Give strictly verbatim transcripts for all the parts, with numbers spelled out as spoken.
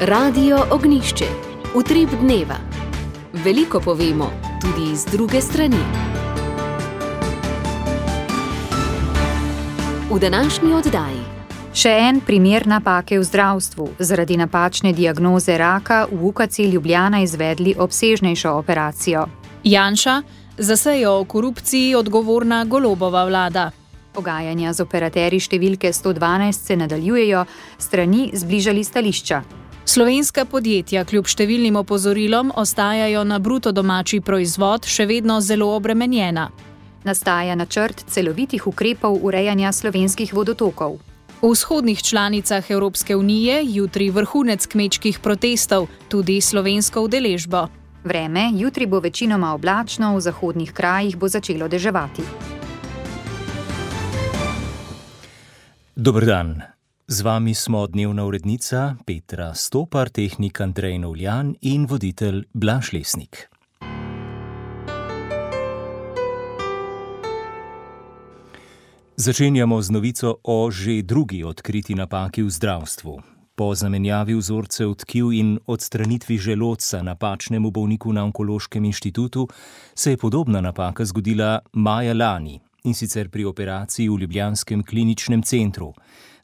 Radio Ognjišče, utrip dneva. Veliko povemo, tudi iz druge strani. V današnji oddaji. Še en primer napake v zdravstvu. Zaradi napačne diagnoze raka v U K C Ljubljana izvedli obsežnejšo operacijo. Janša, za sejo o korupciji odgovorna Golobova vlada. Pogajanja z operaterji številke sto dvanajst se nadaljujejo, strani zbližali stališča. Slovenska podjetja kljub številnim opozorilom ostajajo na bruto domači proizvod še vedno zelo obremenjena. Nastaja načrt celovitih ukrepov urejanja slovenskih vodotokov. V vzhodnih članicah Evropske unije jutri vrhunec kmečkih protestov, tudi slovensko udeležbo. Vreme, jutri bo večinoma oblačno, v zahodnih krajih bo začelo deževati. Dober dan. Z vami smo dnevna urednica Petra Stopar, tehnik Andrej Novljan in voditelj Blaž Lesnik. Začenjamo z novico o že drugi odkriti napaki v zdravstvu. Po zamenjavi vzorcev tkiv in odstranitvi želodca napačnemu bolniku na Onkološkem inštitutu se je podobna napaka zgodila maja lani, in sicer pri operaciji v ljubljanskem kliničnem centru.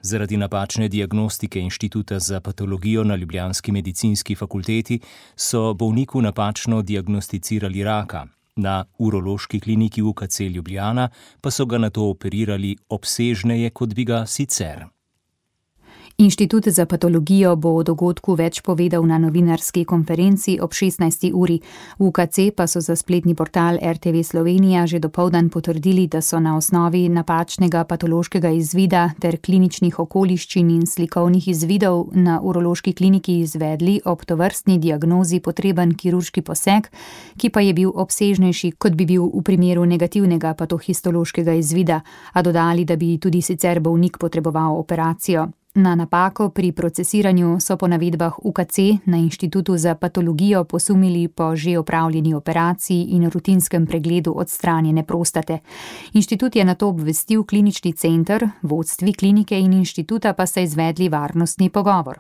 Zaradi napačne diagnostike Inštituta za patologijo na ljubljanski medicinski fakulteti so bolniku napačno diagnosticirali raka. Na urološki kliniki U K C Ljubljana pa so ga nato operirali obsežneje, kot bi ga sicer. Inštitut za patologijo bo o dogodku več povedal na novinarski konferenci ob šestnajsti uri. V U K C pa so za spletni portal R T V Slovenija že dopoldan potrdili, da so na osnovi napačnega patološkega izvida ter kliničnih okoliščin in slikovnih izvidov na urološki kliniki izvedli ob tovrstni diagnozi potreben kirurški poseg, ki pa je bil obsežnejši, kot bi bil v primeru negativnega patohistološkega izvida, a dodali, da bi tudi sicer bolnik potreboval operacijo. Na napako pri procesiranju so po navedbah U K C na Inštitutu za patologijo posumili po že opravljeni operaciji in rutinskem pregledu odstranjene prostate. Inštitut je nato obvestil klinični center, vodstvi klinike in inštituta pa so izvedli varnostni pogovor.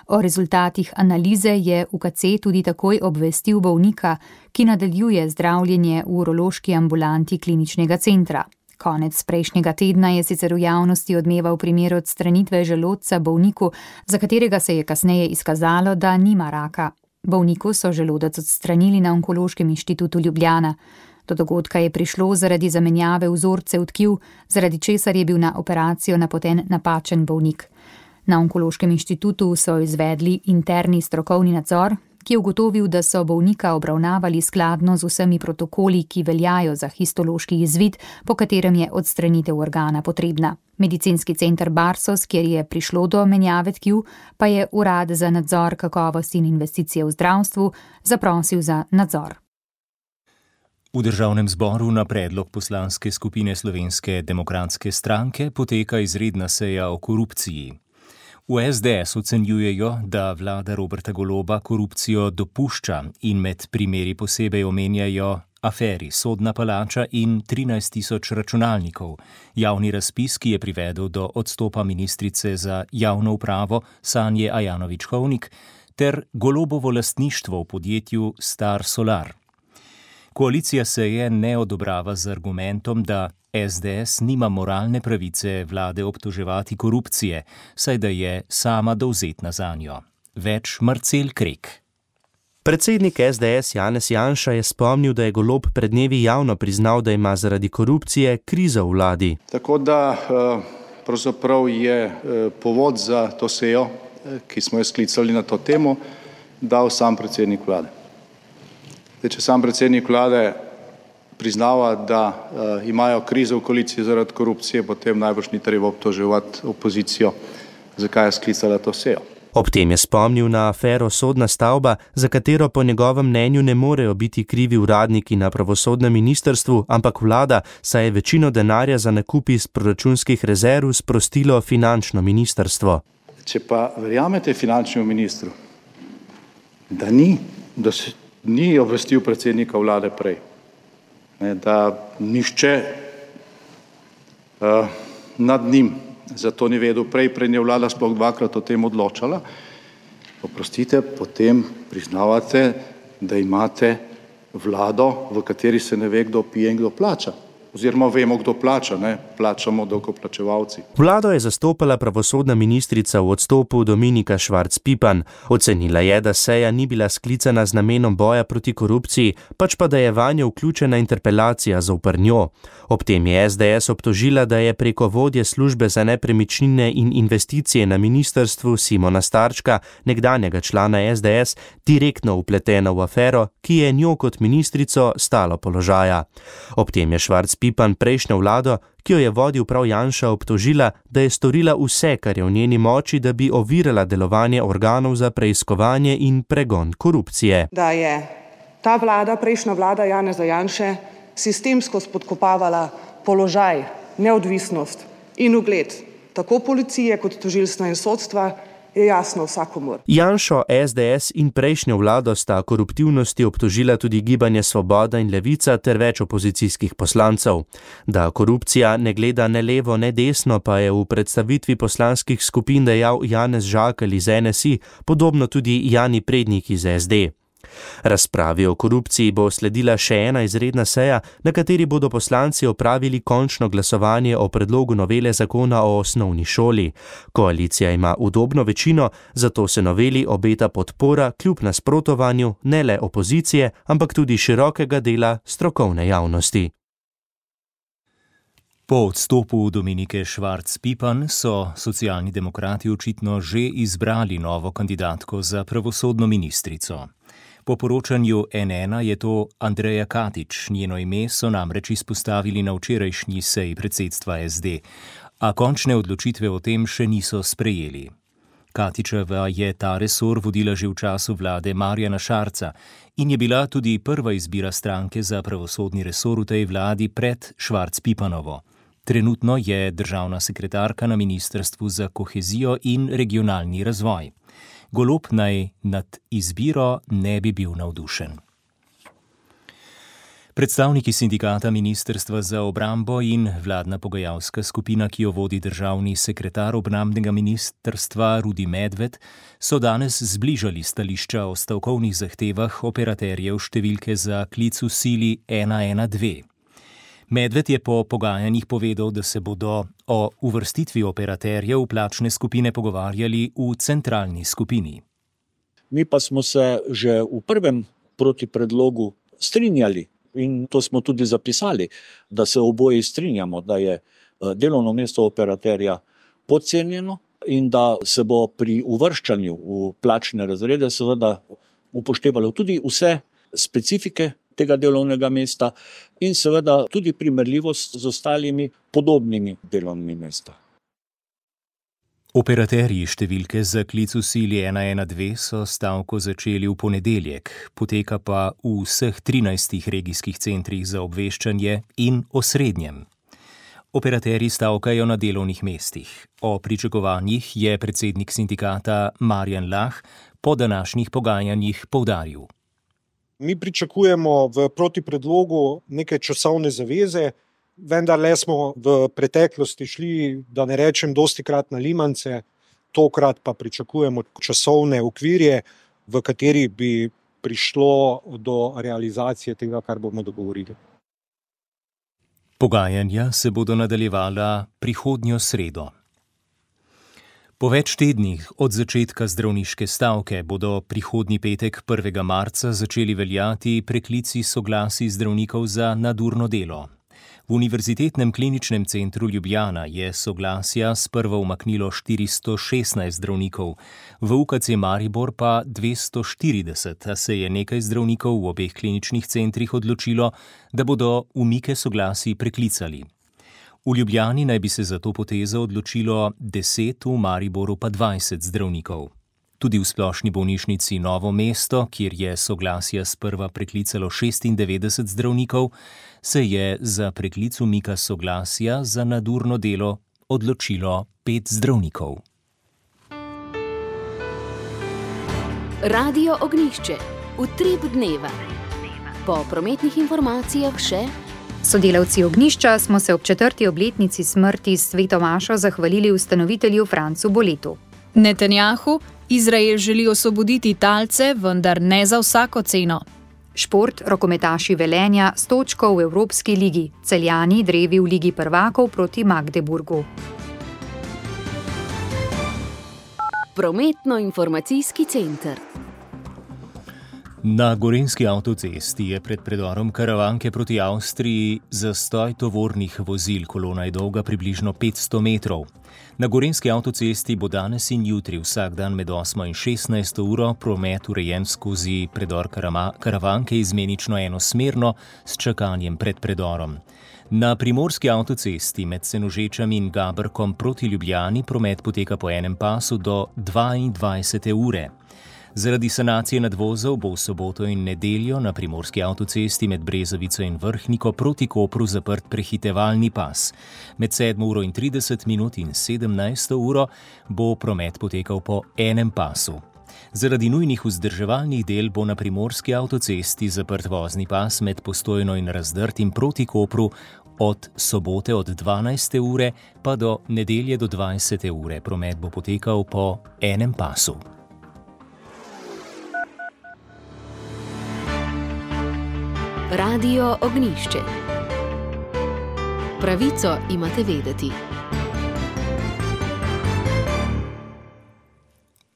O rezultatih analize je U K C tudi takoj obvestil bolnika, ki nadaljuje zdravljenje v urološki ambulanti kliničnega centra. Konec prejšnjega tedna je sicer v javnosti odmeval primer odstranitve želodca bolniku, za katerega se je kasneje izkazalo, da nima raka. Bolniku so želodec odstranili na Onkološkem inštitutu Ljubljana. Do dogodka je prišlo zaradi zamenjave vzorcev tkiv, zaradi česar je bil na operacijo napoten napačen bolnik. Na Onkološkem inštitutu so izvedli interni strokovni nadzor, ki je ugotovil, da so bolnika obravnavali skladno z vsemi protokoli, ki veljajo za histološki izvid, po katerem je odstranitev organa potrebna. Medicinski center Barsos, kjer je prišlo do menjave tkiv, pa je Urad za nadzor kakovosti in investicije v zdravstvu zaprosil za nadzor. V Državnem zboru na predlog poslanske skupine Slovenske demokratske stranke poteka izredna seja o korupciji. V S D S ocenjujejo, da vlada Roberta Goloba korupcijo dopušča in med primeri posebej omenjajo aferi Sodna palača in trinajst tisoč računalnikov, javni razpis, ki je privedel do odstopa ministrice za javno upravo Sanje Ajanović-Hovnik, ter Golobovo lastništvo v podjetju Star Solar. Koalicija seje ne odobrava z argumentom, da S D S nima moralne pravice vlade obtoževati korupcije, saj da je sama dovzetna zanjo. Več Marcel Krek. Predsednik S D S Janez Janša je spomnil, da je Golob pred dnevi javno priznal, da ima zaradi korupcije krizo v vladi. Tako da pravzaprav je povod za to sejo, ki smo jo sklicali na to temo, dal sam predsednik vlade. Če sam predsednik vlade priznava, da uh, imajo krizo v koaliciji zaradi korupcije, potem najbrž ni treba obtoževati opozicijo, zakaj je sklicala to sejo. Ob tem je spomnil na afero Sodna stavba, za katero po njegovem mnenju ne morejo biti krivi uradniki na pravosodnem ministrstvu, ampak vlada, saj je večino denarja za nakup iz proračunskih rezerv sprostilo finančno ministrstvo. Če pa verjamete finančnemu ministru, da ni, da se ni obvestil predsednika vlade prej, ne, da nišče uh, nad njim zato ni vedel prej, prej je vlada sploh dvakrat o tem odločala, oprostite, potem priznavate, da imate vlado, v kateri se ne ve, kdo pije in kdo plača. Oziroma vemo, kdo plača, ne? Plačamo davkoplačevalci. Vlado je zastopala pravosodna ministrica v odstopu Dominika Švarc Pipan. Ocenila je, da seja ni bila sklicana z namenom boja proti korupciji, pač pa da je vanjo vključena interpelacija zoper njo. Ob tem je es de es obtožila, da je preko vodje službe za nepremičnine in investicije na ministrstvu Simona Starčka, nekdanjega člana es de es, direktno vpletena v afero, ki je njo kot ministrico stalo položaja. Ob tem je Švarc Pipan prejšnjo vlado, ki jo je vodil prav Janša, obtožila, da je storila vse, kar je v njeni moči, da bi ovirala delovanje organov za preiskovanje in pregon korupcije. Da je ta vlada, prejšnja vlada Janeza Janše, sistemsko spodkopavala položaj, neodvisnost in ugled tako policije kot tožilstva in sodstva, je jasno vsakomur. Janšo, es de es in prejšnjo vlado sta koruptivnosti obtožila tudi Gibanje Svoboda in Levica ter več opozicijskih poslancev. Da korupcija ne gleda ne levo ne desno, pa je v predstavitvi poslanskih skupin dejal Janez Žakelj iz en es i, podobno tudi Jani Prednik iz es de. Razpravi o korupciji bo sledila še ena izredna seja, na kateri bodo poslanci opravili končno glasovanje o predlogu novele zakona o osnovni šoli. Koalicija ima udobno večino, zato se noveli obeta podpora kljub nasprotovanju ne le opozicije, ampak tudi širokega dela strokovne javnosti. Po odstopu Dominike Švarc Pipan so Socialni demokrati očitno že izbrali novo kandidatko za pravosodno ministrico. Po poročanju en ena je to Andreja Katič, njeno ime so namreč izpostavili na včerajšnji seji predsedstva es de, a končne odločitve o tem še niso sprejeli. Katičeva je ta resor vodila že v času vlade Marjana Šarca in je bila tudi prva izbira stranke za pravosodni resor v tej vladi pred Švarc Pipanovo. Trenutno je državna sekretarka na Ministrstvu za kohezijo in regionalni razvoj. Golob naj nad izbiro ne bi bil navdušen. Predstavniki sindikata Ministrstva za obrambo in vladna pogajalska skupina, ki jo vodi državni sekretar obrambnega ministrstva Rudi Medved, so danes zbližali stališča o stavkovnih zahtevah operaterjev številke za klic v sili ena ena dve. Medved je po pogajanjih povedal, da se bodo o uvrstitvi operaterjev v plačne skupine pogovarjali v centralni skupini. Mi pa smo se že v prvem protipredlogu strinjali in to smo tudi zapisali, da se oboji strinjamo, da je delovno mesto operaterja podcenjeno in da se bo pri uvrščanju v plačne razrede seveda upoštevalo tudi vse specifike tega delovnega mesta in seveda tudi primerljivost z ostalimi podobnimi delovnimi mesta. Operaterji številke za klic v sili ena ena dve so stavko začeli v ponedeljek, poteka pa v vseh trinajstih regijskih centrih za obveščanje in osrednjem. Operaterji stavkajo na delovnih mestih. O pričakovanjih je predsednik sindikata Marjan Lah po današnjih pogajanjih poudaril. Mi pričakujemo v protipredlogu neke časovne zaveze, vendar le smo v preteklosti šli, da ne rečem dostikrat na limance, tokrat pa pričakujemo časovne okvirje, v kateri bi prišlo do realizacije tega, kar bomo dogovorili. Pogajanja se bodo nadaljevala prihodnjo sredo. Po več tednih od začetka zdravniške stavke bodo prihodnji petek prvega marca začeli veljati preklici soglasij zdravnikov za nadurno delo. V Univerzitetnem kliničnem centru Ljubljana je soglasja sprva umaknilo štiristo šestnajst zdravnikov, v U K C Maribor pa dvesto štirideset, a se je nekaj zdravnikov v obeh kliničnih centrih odločilo, da bodo umike soglasij preklicali. V Ljubljani naj bi se za to potezo odločilo deset, v Mariboru pa dvajset zdravnikov. Tudi v splošni bolnišnici Novo mesto, kjer je soglasja sprva preklicalo šestindevetdeset zdravnikov, se je za preklic umika soglasja za nadurno delo odločilo pet zdravnikov. Radio Ognjišče, utrip dneva. Po prometnih informacijah še... Sodelavci Ognjišča smo se ob četrti obletnici smrti s sveto mašo zahvalili ustanovitelju Francu Boletu. Netanjahu: Izrael želi osvoboditi talce, vendar ne za vsako ceno. Šport, rokometaši Velenja s točko v Evropski ligi, Celjani drevi v Ligi prvakov proti Magdeburgu. Prometno-informacijski center. Na gorenjski avtocesti je pred predorom Karavanke proti Avstriji zastoj tovornih vozil, kolona je dolga približno petsto metrov. Na gorenjski avtocesti bo danes in jutri vsak dan med osmo in šestnajsto uro promet urejen skozi predor Karavanke izmenično enosmerno s čakanjem pred predorom. Na primorski avtocesti med Senožečami in Gabrkom proti Ljubljani promet poteka po enem pasu do dvaindvajsete ure. Zaradi sanacije nadvozov bo v soboto in nedeljo na primorski avtocesti med Brezovico in Vrhniko proti Kopru zaprt prehitevalni pas. Med sedmo uro in trideset minut in sedemnajsto uro bo promet potekal po enem pasu. Zaradi nujnih vzdrževalnih del bo na primorski avtocesti zaprt vozni pas med Postojno in Razdrtim proti Kopru od sobote od dvanajste ure pa do nedelje do dvajsete ure. Promet bo potekal po enem pasu. Radio Ognjišče. Pravico imate vedeti.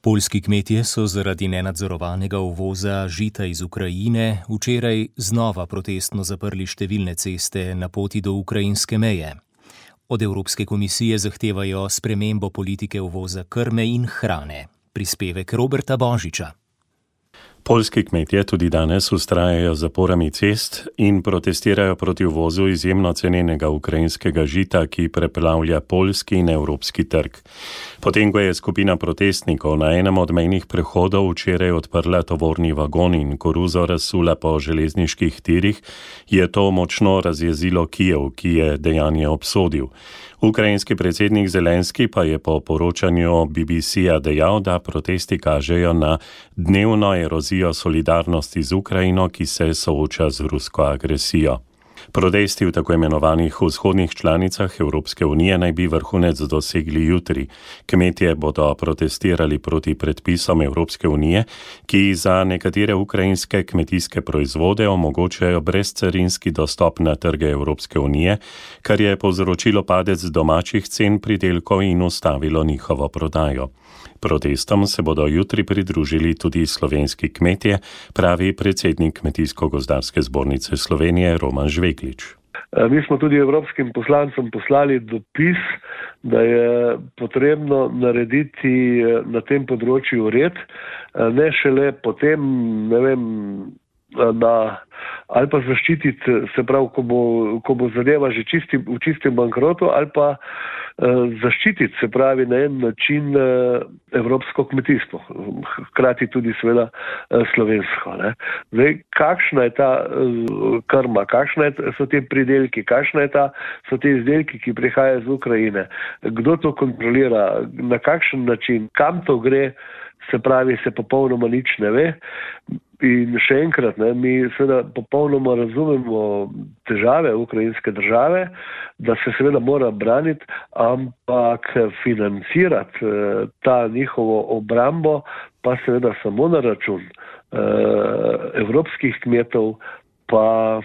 Poljski kmetje so zaradi nenadzorovanega uvoza žita iz Ukrajine včeraj znova protestno zaprli številne ceste na poti do ukrajinske meje. Od Evropske komisije zahtevajo spremembo politike uvoza krme in hrane. Prispevek Roberta Božiča. Poljski kmetje tudi danes vztrajajo z zaporami cest in protestirajo proti uvozu izjemno cenenega ukrajinskega žita, ki preplavlja poljski in evropski trg. Potem, ko je skupina protestnikov na enem od mejnih prehodov včeraj odprla tovorni vagon in koruzo razsula po železniških tirih, je to močno razjezilo Kijev, ki je dejanje obsodil. Ukrajinski predsednik Zelenski pa je po poročanju B B C-ja dejal, da protesti kažejo na dnevno erozijo solidarnosti z Ukrajino, ki se sooča z rusko agresijo. Protesti v tako imenovanih vzhodnih članicah Evropske unije naj bi vrhunec dosegli jutri. Kmetje bodo protestirali proti predpisom Evropske unije, ki za nekatere ukrajinske kmetijske proizvode omogočajo brezcarinski dostop na trge Evropske unije, kar je povzročilo padec domačih cen pridelkov in ustavilo njihovo prodajo. Protestom se bodo jutri pridružili tudi slovenski kmetje, pravi predsednik Kmetijsko-gozdarske zbornice Slovenije Roman Žveglič. Mi smo tudi evropskim poslancem poslali dopis, da je potrebno narediti na tem področju red, ne šele potem, ne vem, na, ali pa zaščititi, se pravi, ko bo, ko bo zadeva že čisti, v čistem bankrotu, ali pa eh, zaščititi, se pravi, na en način eh, evropsko kmetijstvo, hkrati tudi seveda eh, slovensko. Ne. Zdaj, kakšna je ta eh, krma, kakšna je, so te pridelki, kakšna je ta, so te izdelki, ki prihajajo iz Ukrajine, kdo to kontrolira, na kakšen način, kam to gre, se pravi, se popolnoma nič ne ve. In še enkrat, ne, mi seveda popolnoma razumemo težave ukrajinske države, da se seveda mora braniti, ampak financirati eh, ta njihovo obrambo pa seveda samo na račun eh, evropskih kmetov pa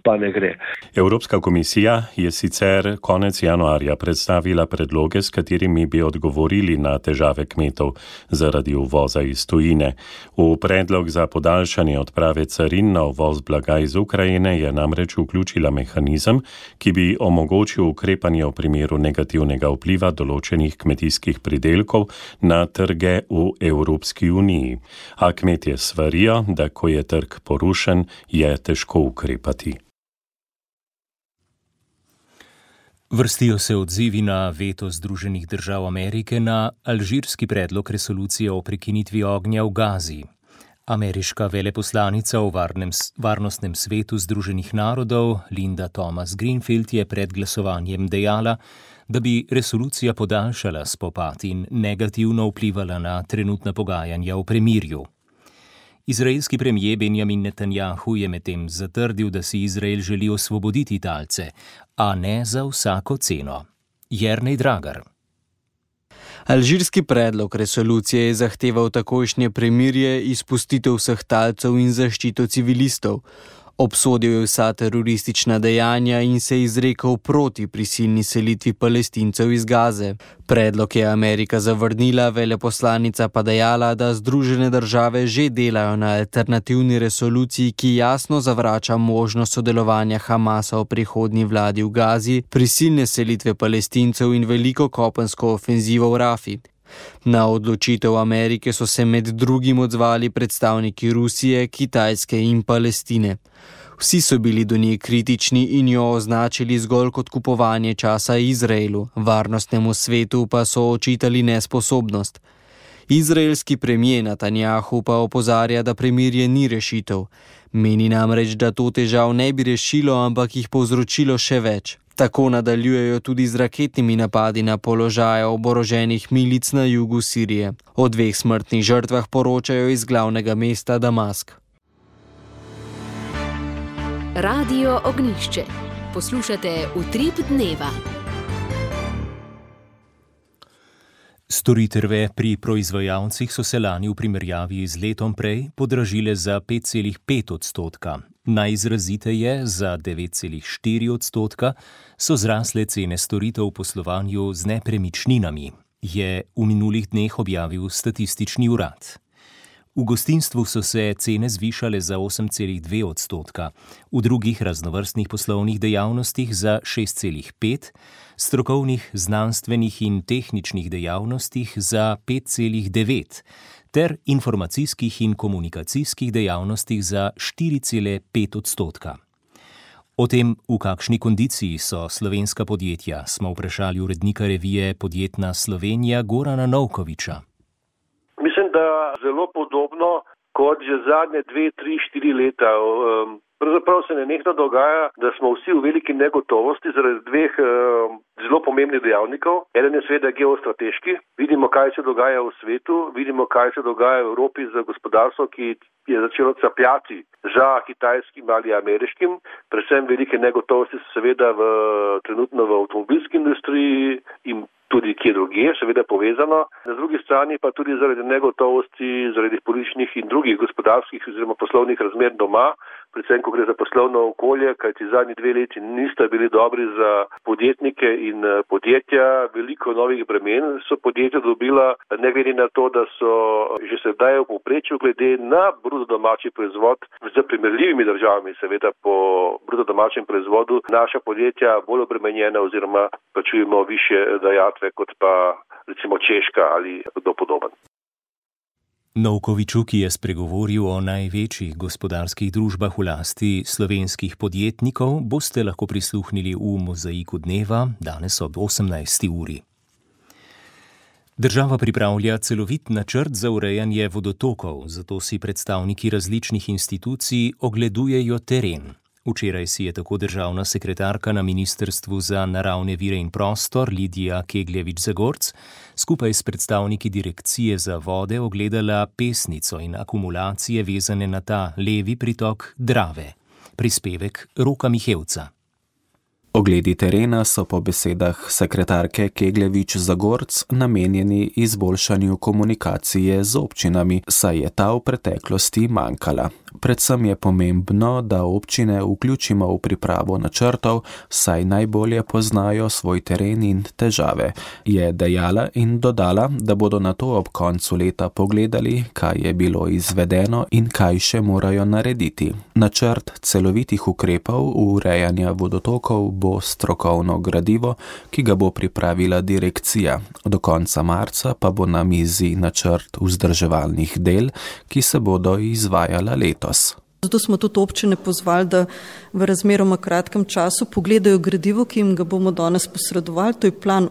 pa ne gre. Evropska komisija je sicer konec januarja predstavila predloge, s katerimi bi odgovorili na težave kmetov zaradi uvoza iz tujine. V predlog za podaljšanje odprave carin na uvoz blaga iz Ukrajine je namreč vključila mehanizem, ki bi omogočil ukrepanje v primeru negativnega vpliva določenih kmetijskih pridelkov na trge v Evropski uniji. A kmetje svarijo, da ko je trg porušen, je težko ukrepati. Vrstijo se odzivi na veto Združenih držav Amerike na alžirski predlog resolucije o prekinitvi ognja v Gazi. Ameriška veleposlanica v varnem, varnostnem svetu Združenih narodov Linda Thomas-Greenfield je pred glasovanjem dejala, da bi resolucija podaljšala spopad in negativno vplivala na trenutna pogajanja o premirju. Izraelski premijer Benjamin Netanjahu je medtem zatrdil, da si Izrael želi osvoboditi talce, a ne za vsako ceno. Jernej Dragar. Alžirski predlog resolucije je zahteval takojšnje premirje, izpustitev vseh talcev in zaščito civilistov. Obsodil je vsa teroristična dejanja in se izrekel proti prisilni selitvi Palestincev iz Gaze. Predlog je Amerika zavrnila, veleposlanica pa dejala, da Združene države že delajo na alternativni resoluciji, ki jasno zavrača možnost sodelovanja Hamasa v prihodnji vladi v Gazi, prisilne selitve Palestincev in veliko kopensko ofenzivo v Rafi. Na odločitev Amerike so se med drugim odzvali predstavniki Rusije, Kitajske in Palestine. Vsi so bili do nje kritični in jo označili zgolj kot kupovanje časa Izraelu, varnostnemu svetu pa so očitali nesposobnost. Izraelski premier Netanjahu pa opozarja, da premirje ni rešitev. Meni namreč, da to težav ne bi rešilo, ampak jih povzročilo še več. Tako nadaljujejo tudi z raketnimi napadi na položaje oboroženih milic na jugu Sirije. O dveh smrtnih žrtvah poročajo iz glavnega mesta Damask. Radio Ognjišče. Poslušate Utrip dneva. Storitve pri proizvajalcih so se lani v primerjavi z letom prej podražile za pet celih pet odstotka. Najizraziteje, za devet celih štiri odstotka, so zrasle cene storitev v poslovanju z nepremičninami, je v minulih dneh objavil Statistični urad. V gostinstvu so se cene zvišale za osem celih dve odstotka, v drugih raznovrstnih poslovnih dejavnostih za šest celih pet, strokovnih, znanstvenih in tehničnih dejavnostih za pet celih devet, ter informacijskih in komunikacijskih dejavnostih za štiri celih pet odstotka. O tem, v kakšni kondiciji so slovenska podjetja, smo vprašali urednika revije Podjetna Slovenija Gorana Novkoviča. Mislim, da zelo podobno kot že zadnje dve, tri, štiri leta. Pravzaprav se nenehno dogaja, da smo vsi v veliki negotovosti zaradi dveh zelo pomembnih dejavnikov. Eden je seveda geostrateški. Vidimo, kaj se dogaja v svetu, vidimo, kaj se dogaja v Evropi za gospodarstvo, ki je začelo capljati za kitajskim ali ameriškim. Predvsem velike negotovosti so seveda v, trenutno v avtomobilski industriji in tudi kje drugje, seveda povezano. Na drugi strani pa tudi zaradi negotovosti, zaradi političnih in drugih gospodarskih oziroma poslovnih razmer doma, predvsem ko gre za poslovno okolje, kajti zadnji dve leti nista bili dobri za podjetnike in podjetja. Veliko novih bremen so podjetja dobila, ne glede na to, da so že sedaj v povprečju glede na bruto domači proizvod z primerljivimi državami, seveda po bruto domačem proizvodu, naša podjetja bolj obremenjena oziroma plačujemo višje dajatve kot pa recimo Češka ali kdo podoben. Novkoviču, ki je spregovoril o največjih gospodarskih družbah v lasti slovenskih podjetnikov, boste lahko prisluhnili v Mozaiku dneva danes ob osemnajsti uri. Država pripravlja celovit načrt za urejanje vodotokov, zato si predstavniki različnih institucij ogledujejo teren. Včeraj si je tako državna sekretarka na Ministrstvu za naravne vire in prostor Lidija Kegljevič-Zagorc skupaj s predstavniki Direkcije za vode ogledala pesnico in akumulacije vezane na ta levi pritok Drave. Prispevek Roka Mihevca. Ogledi terena so po besedah sekretarke Kegljevič-Zagorc namenjeni izboljšanju komunikacije z občinami, saj je ta v preteklosti manjkala. Predvsem je pomembno, da občine vključimo v pripravo načrtov, saj najbolje poznajo svoj teren in težave, je dejala in dodala, da bodo nato ob koncu leta pogledali, kaj je bilo izvedeno in kaj še morajo narediti. Načrt celovitih ukrepov urejanja vodotokov bo strokovno gradivo, ki ga bo pripravila direkcija. Do konca marca pa bo na mizi načrt vzdrževalnih del, ki se bodo izvajala letos. Zato smo tudi občine pozvali, da v razmeroma kratkem času pogledajo gradivo, ki jim ga bomo danes posredovali, to je plan,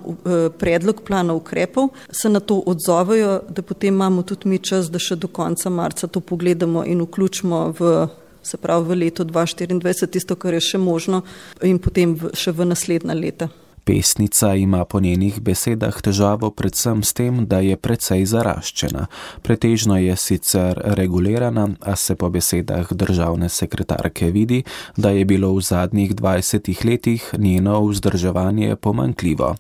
predlog plana ukrepov, se na to odzovejo, da potem imamo tudi mi čas, da še do konca marca to pogledamo in vključimo v, se pravi v leto dva tisoč štiriindvajset, tisto, kar je še možno in potem v, še v naslednja leta. Pesnica ima po njenih besedah težavo predvsem s tem, da je precej zaraščena. Pretežno je sicer regulirana, a se po besedah državne sekretarke vidi, da je bilo v zadnjih dvajsetih letih njeno vzdrževanje pomanjkljivo.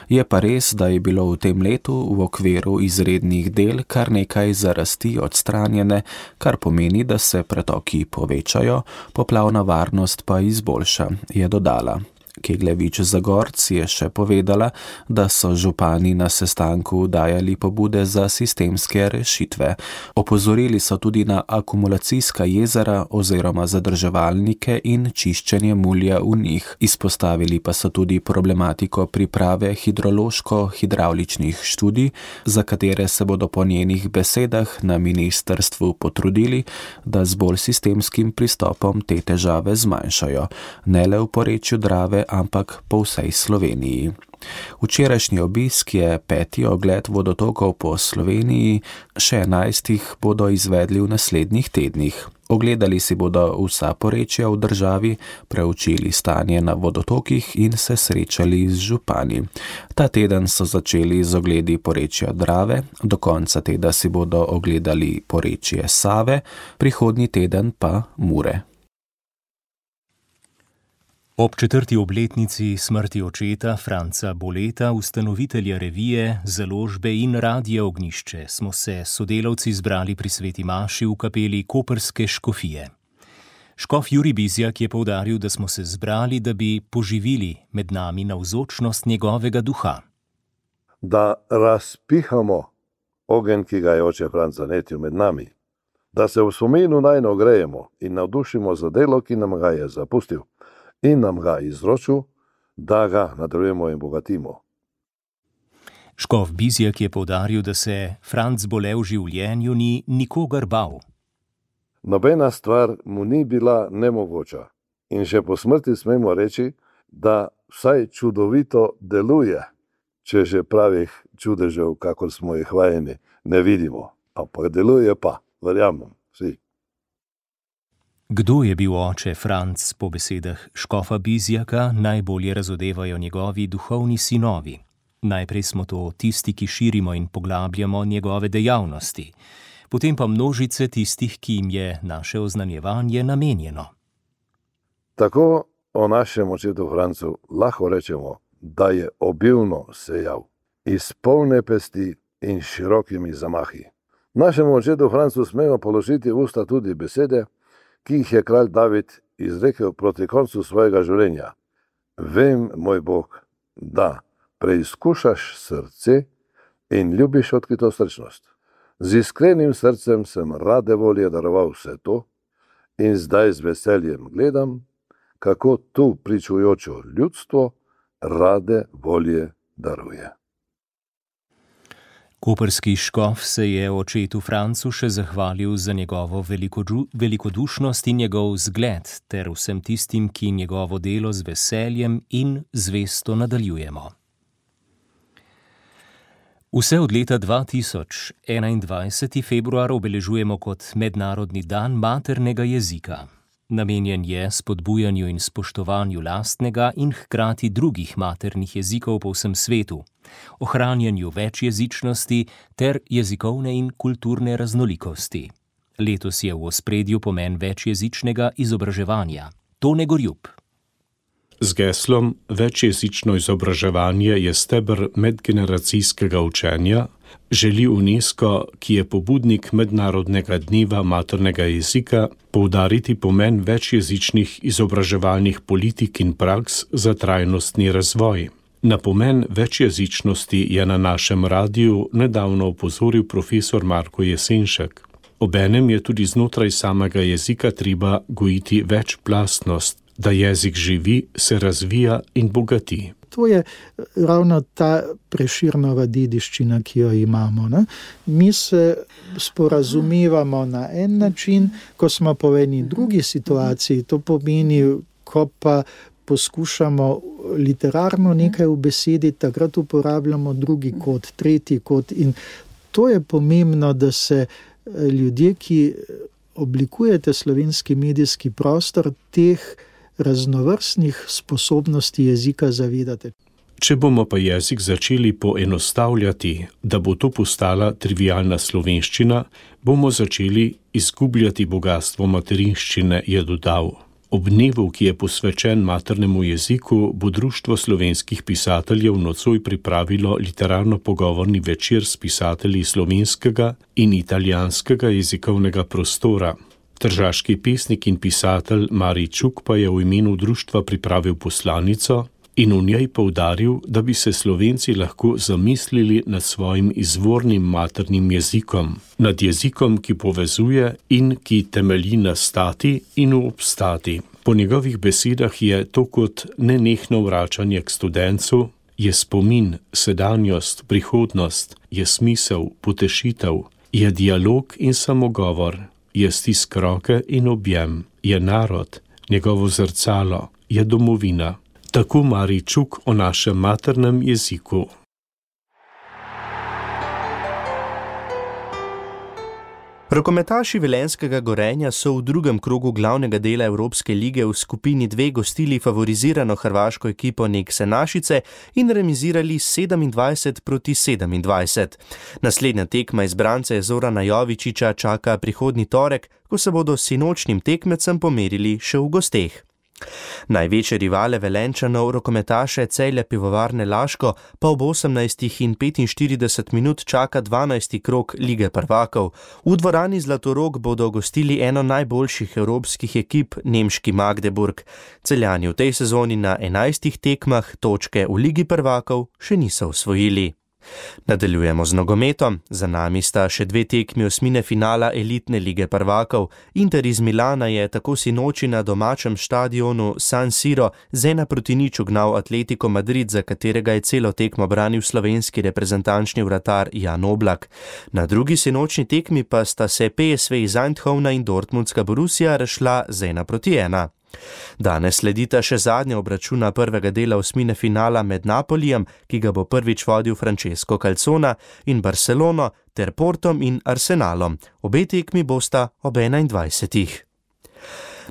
Je pa res, da je bilo v tem letu v okviru izrednih del kar nekaj zarasti odstranjene, kar pomeni, da se pretoki povečajo, poplavna varnost pa izboljša, je dodala. Keglevič Zagorc je še povedala, da so župani na sestanku dajali pobude za sistemske rešitve. Opozorili so tudi na akumulacijska jezera oziroma zadrževalnike in čiščenje mulja v njih. Izpostavili pa so tudi problematiko priprave hidrološko-hidravličnih študij, za katere se bodo po njenih besedah na ministrstvu potrudili, da z bolj sistemskim pristopom te težave zmanjšajo, ne le v porečju Drave, ampak po vsej Sloveniji. Včerajšnji obisk je peti ogled vodotokov po Sloveniji, še enajstih bodo izvedli v naslednjih tednih. Ogledali si bodo vsa porečja v državi, preučili stanje na vodotokih in se srečali z župani. Ta teden so začeli z ogledi porečja Drave, do konca tedna si bodo ogledali porečje Save, prihodnji teden pa Mure. Ob četrti obletnici smrti očeta Franca Boleta, ustanovitelja revije, založbe in Radia Ognjišče, smo se sodelavci zbrali pri sveti maši v kapeli koprske škofije. Škof Jurij Bizjak je poudaril, da smo se zbrali, da bi poživili med nami navzočnost njegovega duha. Da razpihamo ogenj, ki ga je oče Franc zanetil med nami. Da se v spominu najno grejemo in navdušimo za delo, ki nam ga je zapustil. In nam ga izročil, da ga nadaljujemo in bogatimo. Škof Bizjak je poudaril, da se Franc Bole v življenju ni nikogar bal. Nobena stvar mu ni bila nemogoča in še po smrti smemo reči, da vsaj čudovito deluje, če že pravih čudežev, kakor smo jih vajeni, ne vidimo. Ampak deluje pa, verjamem, vsi. Kdo je bil oče Franc, po besedah škofa Bizjaka, najbolje razodevajo njegovi duhovni sinovi. Najprej smo to tisti, ki širimo in poglabljamo njegove dejavnosti, potem pa množice tistih, ki jim je naše oznanjevanje namenjeno. Tako o našem očetu Francu lahko rečemo, da je obilno sejal, iz polne pesti in širokimi zamahi. Našemu očetu Francu smemo položiti v usta tudi besede, ki jih je kralj David izrekel proti koncu svojega življenja. Vem, moj Bog, da preizkušaš srce in ljubiš odkrito srčnost. Z iskrenim srcem sem rade volje daroval vse to in zdaj z veseljem gledam, kako tu pričujočo ljudstvo rade volje daruje. Koprski škof se je očetu Francu še zahvalil za njegovo velikodušnost in njegov zgled ter vsem tistim, ki njegovo delo z veseljem in zvesto nadaljujemo. Vse od leta dva tisoč enaindvajseti februar obeležujemo kot Mednarodni dan maternega jezika. Namenjen je spodbujanju in spoštovanju lastnega in hkrati drugih maternih jezikov po vsem svetu, ohranjanju večjezičnosti ter jezikovne in kulturne raznolikosti. Letos je v ospredju pomen večjezičnega izobraževanja. Tone Gorjup. Z geslom Večjezično izobraževanje je steber medgeneracijskega učenja želi UNESCO, ki je pobudnik Mednarodnega dneva maternega jezika, poudariti pomen večjezičnih izobraževalnih politik in praks za trajnostni razvoj. Na pomen večjezičnosti je na našem radiju nedavno opozoril profesor Marko Jesenšek. Obenem je tudi znotraj samega jezika treba gojiti večplastnost, da jezik živi, se razvija in bogati. To je ravno ta Prešernova dediščina, ki jo imamo. Ne? Mi se sporazumevamo na en način, ko smo pa v eni drugi situaciji, to pomeni, ko pa poskušamo literarno nekaj ubesediti, takrat uporabljamo drugi kot, tretji kot in to je pomembno, da se ljudje, ki oblikujete slovenski medijski prostor, teh raznovrstnih sposobnosti jezika zavedate. Če bomo pa jezik začeli poenostavljati, da bo to postala trivialna slovenščina, bomo začeli izgubljati bogatstvo materinščine, je dodal. Ob dnevu, ki je posvečen maternemu jeziku, bo Društvo slovenskih pisateljev nocoj pripravilo literarno-pogovorni večer s pisatelji slovenskega in italijanskega jezikovnega prostora. Tržaški pesnik in pisatelj Marij Čuk pa je v imenu društva pripravil poslanico in v njej poudaril, da bi se Slovenci lahko zamislili nad svojim izvornim maternim jezikom, nad jezikom, ki povezuje in ki temelji na stati in v obstati. Po njegovih besedah je to kot nenehno vračanje k studencu, je spomin, sedanjost, prihodnost, je smisel, potešitev, je dialog in samogovor, je stisk roke in objem, je narod, njegovo zrcalo, je domovina. Tako Marij Čuk o našem maternem jeziku. Rokometaši Velenjskega Gorenja so v drugem krogu glavnega dela Evropske lige v skupini dve gostili favorizirano hrvaško ekipo Nekse Našice in remizirali sedemindvajset proti sedemindvajset. Naslednja tekma izbrance Zorana Jovičića čaka prihodnji torek, ko se bodo s sinočnim tekmecem pomerili še v gosteh. Največje rivale Velenjčanov, rokometaše Celja Pivovarne Laško, pa ob osemnajstih in petinštirideset minut čaka dvanajsti krog Lige prvakov. V dvorani Zlatorog bodo gostili eno najboljših evropskih ekip, nemški Magdeburg. Celjani v tej sezoni na enajstih tekmah točke v Ligi prvakov še niso osvojili. Nadaljujemo z nogometom. Za nami sta še dve tekmi osmine finala elitne lige prvakov. Inter iz Milana je tako sinoči na domačem štadionu San Siro z ena proti nič ugnal Atletico Madrid, za katerega je celo tekmo branil slovenski reprezentančni vratar Jan Oblak. Na drugi sinočni tekmi pa sta se P S V iz Eindhovna in Dortmundska Borussia razšla z ena proti ena. Danes sledita še zadnja obračuna prvega dela osmine finala med Napolijem, ki ga bo prvič vodil Francesco Calzona, in Barcelono ter Portom in Arsenalom. Obe tekmi bosta ob enaindvajsetih.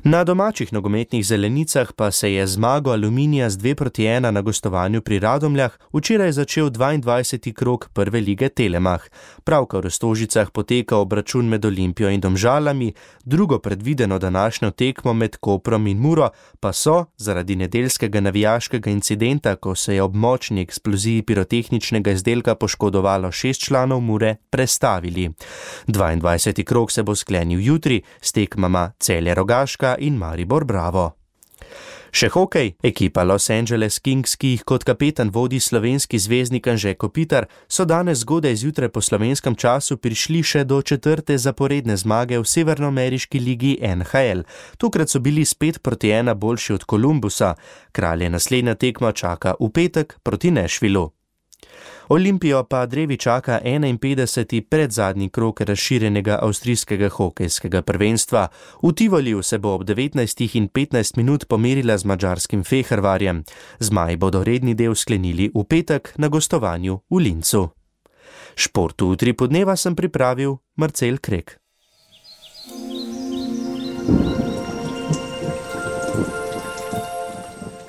Na domačih nogometnih zelenicah pa se je zmago Aluminija z dve proti ena na gostovanju pri Radomljah včeraj začel dvaindvajseti krog prve lige Telemach. Pravkar v Stožicah poteka obračun med Olimpijo in Domžalami, drugo predvideno današnjo tekmo med Koprom in Muro pa so zaradi nedeljskega navijaškega incidenta, ko se je ob močni eksploziji pirotehničnega izdelka poškodovalo šest članov Mure, prestavili. dvaindvajseti krog se bo sklenil jutri s tekmama Celje Rogaška in Maribor Bravo. Še hokej. Ekipa Los Angeles Kings, ki jih kot kapetan vodi slovenski zvezdnik Anže Kopitar, so danes zgodaj zjutraj po slovenskem času prišli še do četrte zaporedne zmage v severnoameriški ligi N H L. Tokrat so bili spet proti ena boljši od Kolumbusa. Kralje naslednja tekma čaka v petek proti Nashvillu. Olimpijo pa drevi čaka enainpetdeseti predzadnji krog razširjenega avstrijskega hokejskega prvenstva. V Tivoliju se bo ob devetnajstih in petnajst minut pomerila z madžarskim Fehervarjem. Zmaji bodo redni del sklenili v petek na gostovanju v Lincu. Šport v tri podneva sem pripravil Marcel Krek.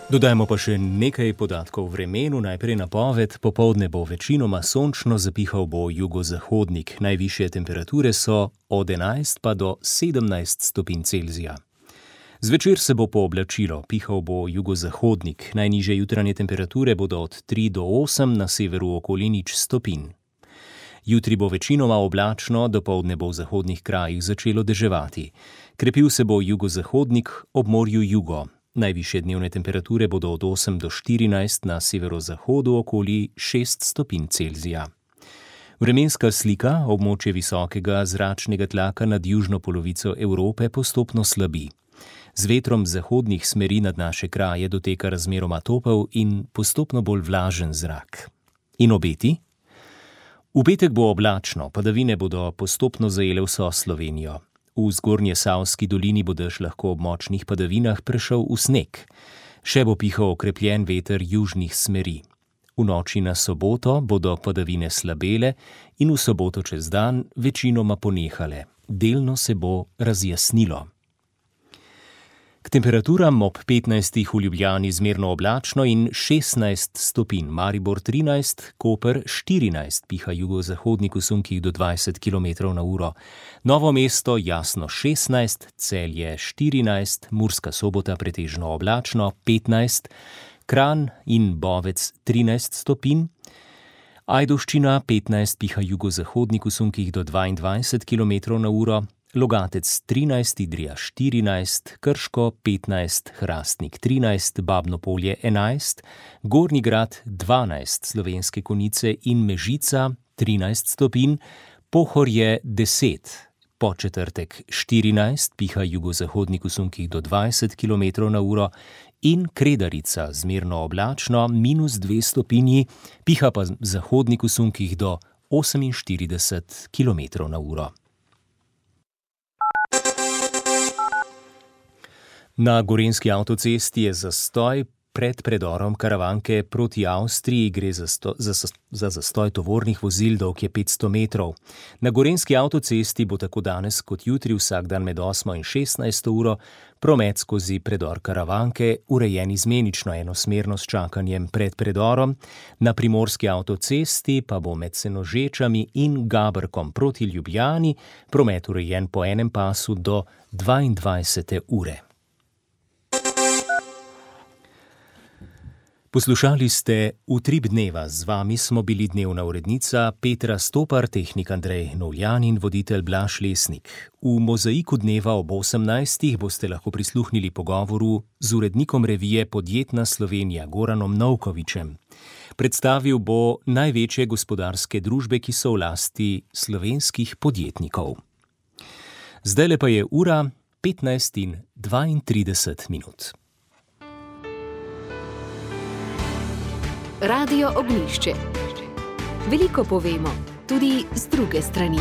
Dodajmo pa še nekaj podatkov o vremenu. Najprej napoved. Popoldne bo večinoma sončno, zapihal bo jugozahodnik. Najvišje temperature so od enajst pa do sedemnajst stopinj Celzija. Zvečer se bo pooblačilo, pihal bo jugozahodnik. Najnižje jutranje temperature bodo od tri do osem, na severu okoli nič stopinj. Jutri bo večinoma oblačno, dopoldne bo v zahodnih krajih začelo deževati. Krepil se bo jugozahodnik, ob morju jugo. Najvišje dnevne temperature bodo od osem do štirinajst, na severozahodu okoli šest stopinj Celzija. Vremenska slika. Območje visokega zračnega tlaka nad južno polovico Evrope postopno slabi. Z vetrom zahodnih smeri nad naše kraje doteka razmeroma topel in postopno bolj vlažen zrak. In obeti? V petek bo oblačno, padavine bodo postopno zajele vso Slovenijo. V zgornje Savski dolini bo dež lahko ob močnih padavinah prešel v sneg. Še bo pihal okrepljen veter južnih smeri. V noči na soboto bodo padavine slabele in v soboto čez dan večinoma ponehale. Delno se bo razjasnilo. K K temperaturam ob petnajstih v Ljubljani zmerno oblačno in šestnajst stopinj, Maribor trinajst, Koper štirinajst, piha jugozahodnik v sunkih do dvajset kilometrov na uro. Novo mesto jasno šestnajst, Celje štirinajst, Murska Sobota pretežno oblačno petnajst, Kranj in Bovec trinajst stopinj, Ajdovščina petnajst, piha jugozahodnik v sunkih do dvaindvajset kilometrov na uro, Logatec trinajst, Idrija štirinajst, Krško petnajst, Hrastnik trinajst, Babno Polje enajst, Gornji Grad dvanajst, Slovenske Konjice in Mežica trinajst stopinj, Pohorje deset, Podčetrtek štirinajst, piha jugozahodnik v sunkih do dvajset kilometrov na uro in Kredarica zmerno oblačno minus dve stopinji, piha pa zahodnik v sunkih do oseminštirideset kilometrov na uro. Na gorenjski avtocesti je zastoj pred predorom Karavanke proti Avstriji, gre za, sto, za, za zastoj tovornih vozil, dolg je petsto metrov. Na gorenjski avtocesti bo tako danes kot jutri vsak dan med osmo in šestnajsto uro promet skozi predor Karavanke urejen izmenično enosmerno s čakanjem pred predorom, na primorski avtocesti pa bo med Senožečami in Gabrkom proti Ljubljani promet urejen po enem pasu do dvaindvajsete ure. Poslušali ste Utrip dneva, z vami smo bili dnevna urednica Petra Stopar, tehnik Andrej Novljan in voditelj Blaž Lesnik. V Mozaiku dneva ob osemnajstih boste lahko prisluhnili pogovoru z urednikom revije Podjetna Slovenija Goranom Novkovičem. Predstavil bo največje gospodarske družbe, ki so v lasti slovenskih podjetnikov. Zdajle pa je ura petnajst in dvaintrideset minut. Radio Ognjišče. Veliko povemo, tudi z druge strani.